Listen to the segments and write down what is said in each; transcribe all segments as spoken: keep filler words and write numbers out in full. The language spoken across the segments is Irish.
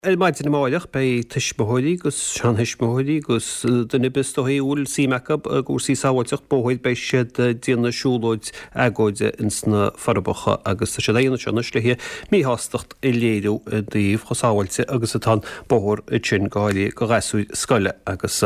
Ar maidin amáireach beidh tuismitheoirí agus seantuismitheoirí agus duine ar bith is dóichí a bhfuil suim acu i gcúrsaí sábháilteacht bóthair beidh siad ag déanamh siúlóid agóide ins na Forbacha agus tá siad á dhéanamh seo anois le míshástacht a léiriú i dtaobh chomh sábháilte agus atá an bóthar sin go háirithe do ghasúir scoile agus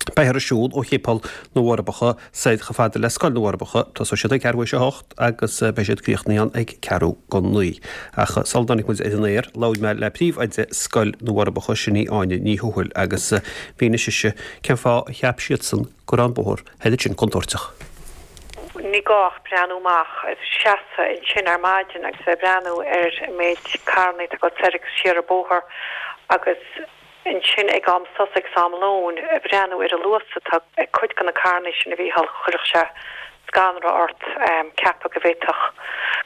beifear ag siúl ó Shéipéal na bhForbacha soir chomh fada le Scoil na bhForbacha. Tosóidh siad ag ceathrú théis a hocht agus beidh siad críochnaithe ann ag ceathrú go naoi. Ach sula dtáinig muid ar an aer, labhair mé le príomhoide Scoil na bhForbacha, sin í Áine Ní Thuathail, agus mhínigh sise cén fáth a cheap siadsan go raibh an bóthar thoir sin contúirteach. Ní gá ach breathnú amach, seasamh ansin ar maidin agus bheith ag breathnú ar an méid carranna atá ag dul soir agus siar an bóthar agus Ansin ag am sosa agus am lóin, ag breathnú ar an luas atá ag cuid de na carranna sin a Mhícheáil, chuirfeadh sé scanradh ort ceapadh go bhféadfadh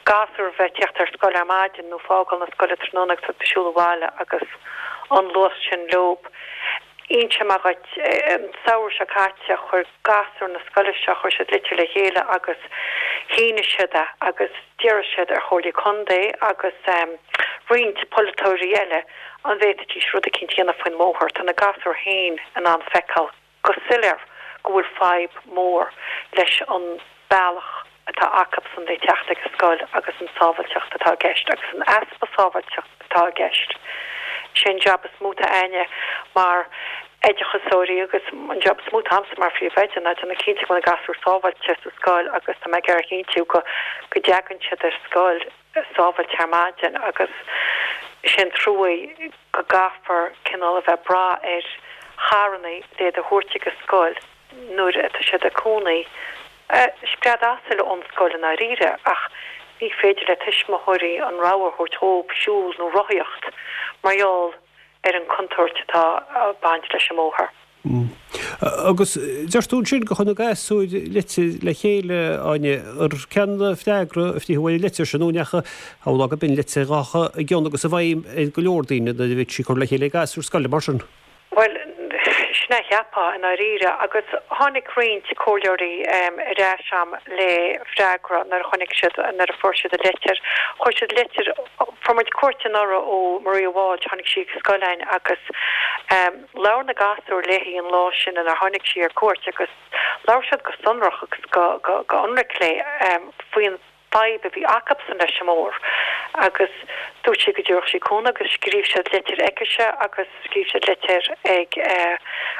gasúr bheith ag tíocht ar scoil ar maidin nó fágáil na scoile tráthnóna agus iad ag siúl abhaile agus an luas sin leob. Inseoidh mé dhuit, an samhradh seo caite, chuir gasúir na scoile seo, chuir siad litir le chéile agus shínigh siad é agus d'iarr siad ar Chomhairle Contae agus roinnt polaiteoirí eile an bhféadfaidís rud eicínt a dhéanamh faoin mbóthar. Tá na gasúir féin in ann feiceáil go soiléir go bhfuil fadhb mhór leis an bealach atá acubsan le teacht ag an scoil agus an sábhailteacht atá i gceist agus an easpa sábhailteacht atá i gceist. Sé an jab is mó atá a'inne mar oideachasóirí agus an jab is mó atá a'msa mar phríomhoide ná déanamh cinnte go bhfuil na gasúir sábháilte sa scoil agus tá mé ag iarraidh a chinntiú go go dteagann siad ar scoil sábháilte ar maidin agus sé an trua go gcaithfear cineál a bheith ag brath ar charrannaí le iad a thabhairt ag an scoil nuair atá siad ag cónaí scread asail ón scoil i ndáiríre ach ní féidir le tuismitheoirí an rogha a thabhairt dhóib siúl nó rothaíocht mar gheall ar an contúirt atá ag baint leis an mbóthar. Agus deir tú ansin gur chuir na gasúir litir le chéile, Áine, ar cén freagra a frítheadh ar an litir sin nó an ndeachaigh, shamhlófá gurb in litir a ghabhfadh i gcion agus i bhfeidhm ar go leor daoine nuair a bhí sí curtha le chéile ag gasúir scoile mar sin? Bhuel, sin é a cheapfá i ndáiríre. Agus tháinig roinnt comhairleoirí ar ais a'm le freagra nuair a chonaic siad, nuair a fuair siad an litir. Chuir siad litir, fuair muid cuairt anuraidh ó Maria Walsh, tháinig sí ag an scoil a'inn agus labhair na gasúir léi an lá sin inar tháinig sí ar cuairt agus labhair siad go sonrach agus go, go, go hionraic léi faoin fadhb a bhí acubsan leis an mbóthar agus dúirt sí go dtabharfadh sí cúnamh agus scríobh siad litir chuici agus scríobh siad litir ag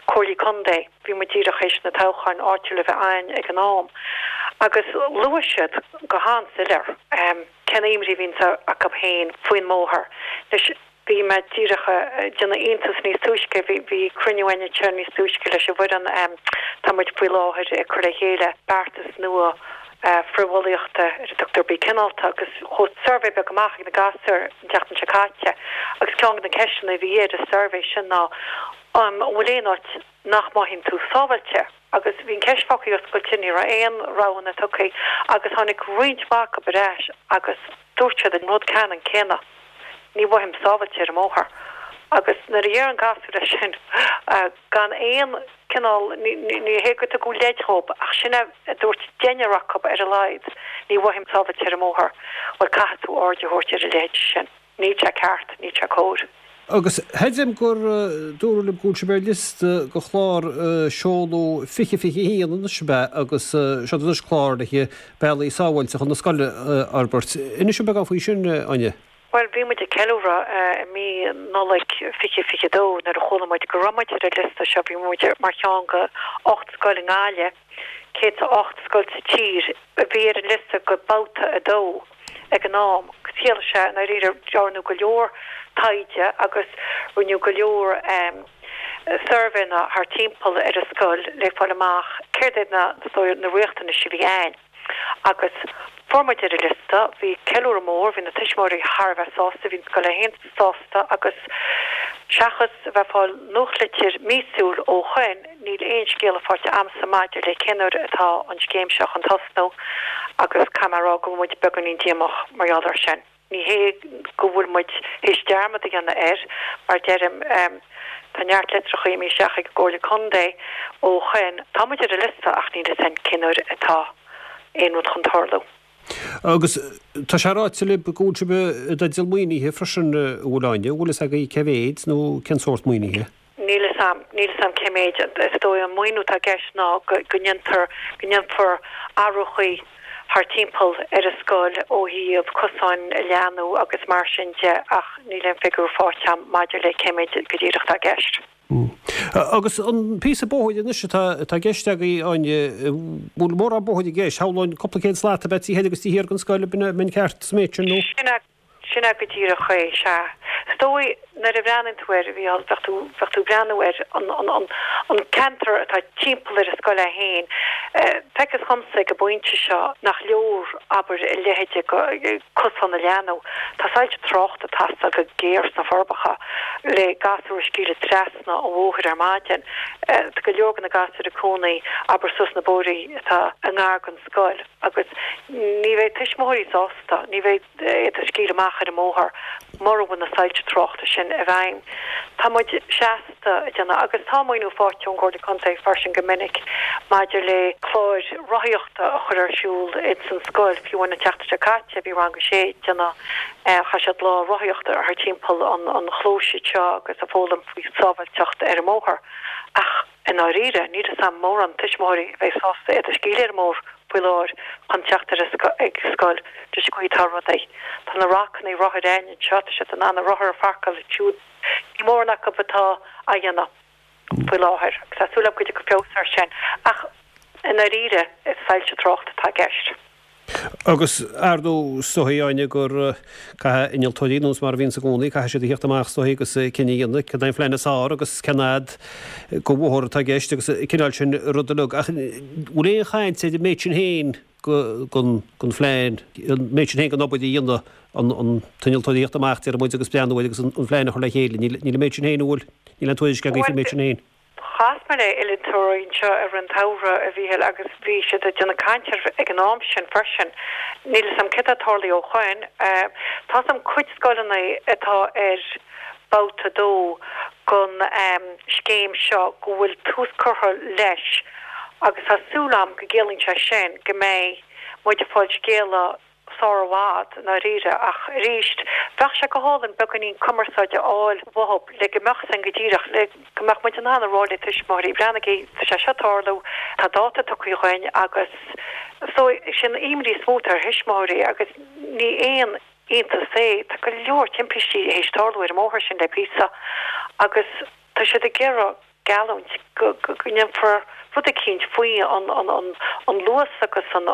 Comhairlí Contae, bhí muid díreach théis na toghcháin áitiúil a bheith a'ainn ag an am agus luaigh siad go han-soiléir cén imní a bhíonns acu féin faoin mbóthar. Anois. Bhí mé díreach ag déanamh iontas níos túisce, bhí bhí cruinniú againn anseo níos túisce leis an bhfoireann, tá muid faoi láthair ag cur le chéile beartas nua frithbhulaíochta ar a dtugtar Bí Cineálta agus chuaigh suirbhé beag amach ag na gasúir an tseachtain seo caite agus ceann de na ceisteanna a bhí ar an suirbhé sin ná an bhfuil aon áit nach mothaíonn tú sábháilte? Agus bhí an ceist fágtha oscailte, ní raibh aon roghanna tugtha agus tháinig roinnt mhaith acu ar ais agus dúirt siad an rud ceannann céanna, ní mhothaím sábháilte ar an mbóthar. Agus nuair a deireann gasúr é sin, gan aon cineál, ní hé gur tugadh leid dhóibh ach sin é a dúirt deichniúr acu ar a laghad, ní mhothaím sábháilte ar an mbóthar, bhuel caithfidh tú aird a thabhairt ar a leithéid sin. Níl sé ceart, níl sé cóir. Agus creidim gur dúradh liom go bhfuil sibh ar liosta do chlár seoladh fiche fiche a haon anois ab ea agus seod anois clár le bealaí sábháilte chun na scoile a fhorbairt. Inis dom beagán faoi sin, Áine. Bhuel, bhí muid ag ceiliúradh i mí Nollaig fiche fiche a dó nuair a chuala muid go raibh muid ar an liosta seo. Bhí muid mar cheann de ocht scoil i nGaillimh, céad is a ocht scoil sa tír a bhí ar an liosta go babhta a dó. ag an am agus chiallaigh sé i ndáiríre dearnadh go leor taighde agus rinneadh go leor suirbhéanna thar timpeall ar an scoil le fáil amach céard iad na na riachtanais a bhí ann agus fuair muid ar an liosta, bhí ceiliúradh mór, bhí na tuismitheoirí thar a bheith sásta, bhí an scoil é féin sásta agus seachas a bheith ag fáil nuachtlitir míosúil ó shoin, Níl aon scéala faighte a'msa maidir le cén uair atá an scéim seo chun tosnú agus caithfidh mé a rá go bhfuil muid beagáinín díomách mar gheall air sin. Ní hé go bhfuil muid théis dearmad a dhéanamh air, mar deirim, tá neart litreacha imithe isteach ag an gComhairle Contae ó shoin. Tá muid ar an liosta ach níl fhios a'inn cén uair atá aon rud chun tarlú. Agus tá sé ráite libh go bhfuil sibh i dteideal maoinithe freisin, a bhfuil Áine, an bhfuil fhios agaibh cé mhéid nó cén sórt maoinithe? Níl fhios a'm, níl fhios a'm cé méid. Is dóigh an maoiniú atá i gceist ná go ndéantar, go ndéanfar athruithe thar timpeall ar an scoil ó thaobh cosáin a leathnú agus mar sin de ach níl aon figiúr faighte a'm maidir le cé méid go díreach atá i gceist. Agus an píosa bóthair anois atá atá i gceist agaibh, Áine, bhfuil mórán bóthair i gceist? Shamhlóinn cúpla céad slat ab ea taobh thoir agus taobh thiar den scoil, an mbeinn ceart sa méid sin nó? Sin é, sin é go díreach é, sea. Is dóigh nuair a bhreathnaíonn tú air, a Mhícheál, bheadh tú, bheadh tú ag breathnú ar an, an, an, an ceantar atá timpeall ar an scoil é féin, feictear dhomsa ag an bpointe seo nach leor, abair, a leithéid de cosán a leathnú. Tá soilse tráchta ag teastáil go géar sna Forbacha le gasúir a scaoileadh trasna an bhóthair ar maidin. Tá go leor de na gasúir ag cónaí, abair, suas na bóithrí atá i ngar don scoil agus ní bheidh tuismitheoirí sásta, ní bheidh iad a scaoileadh amach ar an mbóthar mura bhfuil na soilse tráchta sin i bhfeidhm. Tá muid seasta ag déanamh, agus tá maoiniú faighte ón gComhairle Contae freisin go minic maidir le cláir rothaíochta a chur ar siúl ins an scoil, fiú amháin an tseachtain seo caite bhí rang a sé ag déanamh, chaith siad lá rothaíochta thar timpeall an chlóis seo agus ag foghlaim faoi sábháilteacht ar an mbóthar. Ach i ndáiríre, níl fhios a'm mórán tuismitheoirí a bheidh sásta iad a scaoileadh ar an mbóthar faoi láthair chun teacht ar ag scoil leis an gcaoi atá rudaí. Tá na racanna rothair againn anseo, tá siad in ann a rothair a pharcáil ansiúd. Ní mórán acu atá á dhéanamh faoi láthair agus tá súil agam go dtiocfaidh feabhas air sin. Ach i ndáiríre, is soilse tráchta atá i gceist. Agus ar ndóigh, is dóichí, Áine, gur caithfidh innealtóirí, nós mar a bhíonns i gcónaí, caithfidh siad a theacht amach is dóichí agus cinneadh a dhéanamh cad é an phlean is fearr agus cén fhad de bhóthar atá i gceist agus an cineál sin rud uilig. Ach bhfuil aon chaint ar an méid sin féin den phlean, an méid sin féin den obair a dhéanamh, an t-innealtóir a theacht amach, déarfaidh muid, agus breathnú air agus an phlean a chur le chéile? Níl an méid sin féin, an bhfuil? Níl aon tuairisc agaibh faoin méid sin féin. Chas mé le innealtóirí anseo i rith an tsamhraidh, a Mhíchíl, agus bhí siad ag déanamh caint air ag an am sin freisin. Níl fhios a'm céard atá tarlaithe ó shoin. Tá fhios a'm cuid scoileanna atá ar babhta a dó den scéim seo go bhfuil tús curtha leis agus tá súil a'm go gciallaíonn sé sin go mbeidh muid ag fáil scéala sár i bhfad, i ndáiríre, ach arís, bheadh sé go hálainn beagáinín cumarsáide a fháil uathub le go mbeadh san go díreach, le go mbeadh muid in ann a rá le tuismitheoirí, breathnaigí, tá sé seo ag tarlú, tá dáta tugtha dhuinn agus so sin imní is mó atá ar thuismitheoirí agus ní aon iontas é, tá go leor timpistí théis tarlú ar an mbóthar sin le píosa agus tá siad ag iarraidh geallúint go ndéanfar rud eicínt faoi an luas agus an,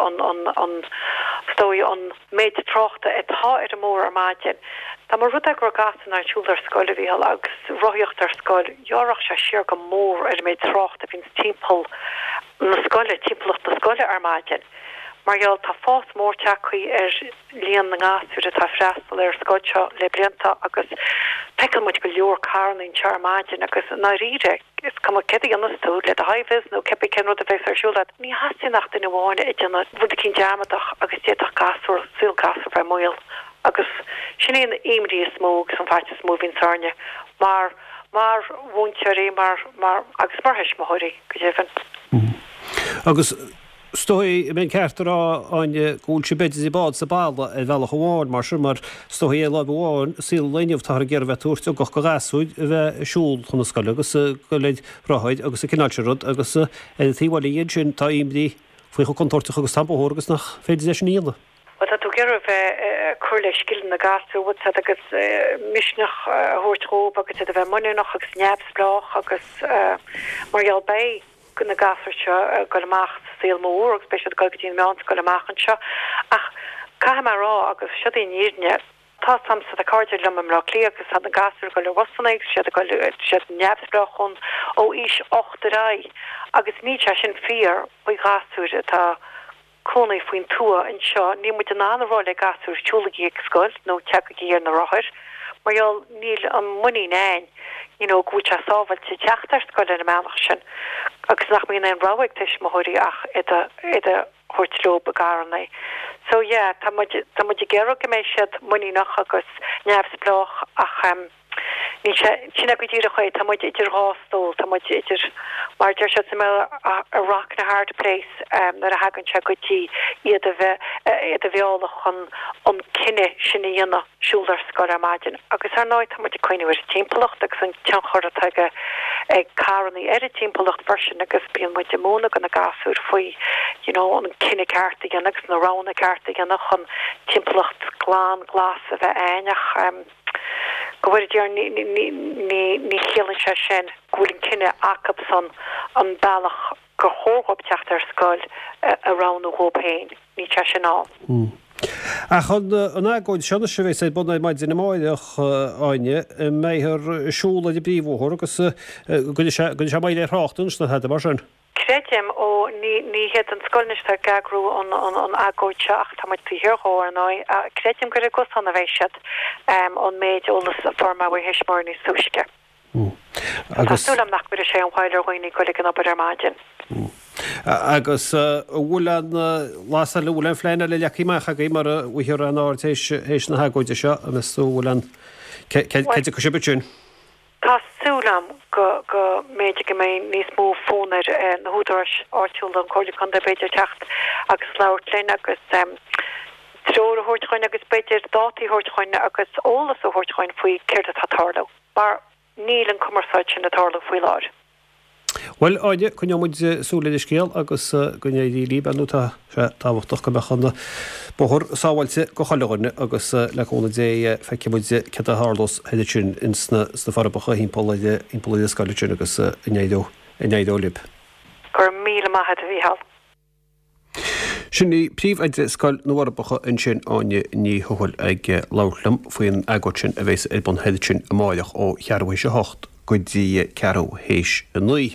is dóigh, an méid tráchta atá ar an mbóthar ar maidin. Dá mba rud é go raibh gasúir in ann siúl ar scoil, a Mhícheál, agus rothaíocht ar scoil, ghearrfadh sé siar go mór ar an méid tráchta a bhíonns timpeall na scoile, timpeallacht na scoile ar maidin. Mar gheall, tá fás mór tagtha ar líon na ngasúr atá ag freastal ar an scoil seo le blianta agus feiceann muid go leor carranna anseo ar maidin agus i ndáiríre, is cuma céard a dhéanas tú le do high-vis nó cibé cén rud a bheas ar siúl agat, ní theastaíonn ach duine amháin ag déanamh rud eicínt dearmadach agus d'fhéadfadh gasúr, saol gasúr bheith i mbaol agus sin í an imní is mó agus an faitíos is mó a bhíonns orainne mar, mar mhúinteoirí, mar, mar, agus mar thuismitheoirí, go deimhin. Agus. Is dóigh, an mbeinn ceart a rá, Áine, go bhfuil sibh b'fhéidir idir bád is an balla ar bhealach amháin, mar sin, mar is dóigh ar láimh amháin, i saol an lae inniu, táthar ag iarraidh a bheith ag tabhairt ugach do ghasúir a bheith ag siúl chun na scoile agus ag dul ar rothair agus an cineál sin rud agus ar an taobh eile dhe ansin tá imní faoi chomh contúirteach agus atá an bóthar agus nach féidir é sin a dhéanamh. Bhuel, tá tú ag iarraidh a bheith ag cur le scileanna na gasúr, bhfuil 's a'd, agus misneach a thabhairt dhóibh agus iad a bheith muiníneach agus neamhspleách agus mar gheall beidh na gasúir seo ag dul amach sa saol mór agus beidh siad ag dul go dtí an meánscoil amach anseo. Ach caithfidh mé a rá, agus siod í an fhírinne, tá 's a'msa, tá cairde liom i mBleá Cliath agus tá na gasúir ag dul ar bhusanna agus siad ag dul, siad neamhspleách ón, ó aois ocht ar aghaidh agus níl sé sin fíor faoi ghasúir atá cónaí faoin tuath anseo, níl muid in ann a rá le gasúir siúlaigí ag scoil nó teagaigí ar na rothair mar gheall níl an muinín a'inn you know go bhfuil sé sábhailte teacht ar scoil ar an mbealach sin agus nach mbíonn aon rogha ag tuismitheoirí ach iad a iad a thabhairt leo i gcarranna. So yeah, tá muid tá muid ag iarraidh go mbeidh siad muiníneach agus neamhspleách ach em Níl sé, sin é go díreach é, tá muid idir dhá stól, tá muid idir, mar a deir siad sa mBéarla, a rock and a hard place nuair a thagann sé go dtí iad a bheith, iad a mhealladh chun an cinneadh sin a dhéanamh, siúl ar scoil ar maidin. Agus ar ndóigh tá muid ag cuimhneamh ar an timpeallacht agus an tionchar atá ag ag carrannaí ar an timpeallacht freisin agus bíonn muid ag múineadh do na gasúir faoi you know an cinneadh ceart a dhéanamh agus na roghanna cearta a dhéanamh chun timpeallacht glan glas a bheith ann ach go bhfóire Dia orainn ní chiallaíonn sé sin go bhfuil an cinneadh acusan an bealach gur chóir dhóibh teacht ar scoil a roghnú dhóibh féin. Níl sé sin ann. Ach an agóid seo anois a bheas ar bun ar maidin amáireach, Áine, an mbeifear ag siúl ar an bpríomhbhóthar agus go gcuirfidh sé moill ar thrácht anois nó tada mar sin? Creidim, ó, ní, ní hiad an scoil anois atá ag eagrú an, an, an agóid seo ach tá muid taobh thiar dhó, ar ndóigh. Creidim gur ar an gcosán a bheidh siad, ón méid eolas a fuair mé ó thuismitheoirí níos túisce. Tá súil agam nach gcuirfidh sé aon mhoill ar dhaoine ag goil ag an obair ar maidin. Agus an bhfuil aon bhlas eile, an bhfuil aon phlean eile leagtha amach agaibh mura bhfaighfear aon aird théis na hagóide seo, an meas tú an bhfuil aon, cé dtiocfaidh sibh ansin? Tá súil agam go go mb'fhéidir go mbeidh níos mó fonn ar na húdaráis áitiúla, an Chomhairle Contae b'fhéidir, teacht agus labhairt linn agus treoir a thabhairt dhuinn agus b'fhéidir dátaí a thabhairt dhuinn agus eolas a thabhairt dhuinn faoi céard atá ag tarlú. Mar níl an cumarsáid sin ag tarlú faoi láthair. Bhuel, Áine, coinneoidh muid súil ar an scéal agus go n-éirí libh, ar ndóigh tá sé tábhachtach go mbeadh an bóthar sábháilte go chuile dhuine agus le cúnamh Dé feicfidh muid céard a tharlós thoir ansin ins na Forbacha thimpeall ar thimpeall ar an scoil ansin agus go n-éireoidh go n-éireoidh libh. Go raibh míle maith agat, a Mhícheáil. Sin í Príomhoide Scoil na bhForbacha ansin, Áine Ní Thuathail ag labhairt liom faoin agóid sin a bheas ar bun thoir ansin amáireach ó cheathrú théis a hocht go dtí ceathrú théis a naoi.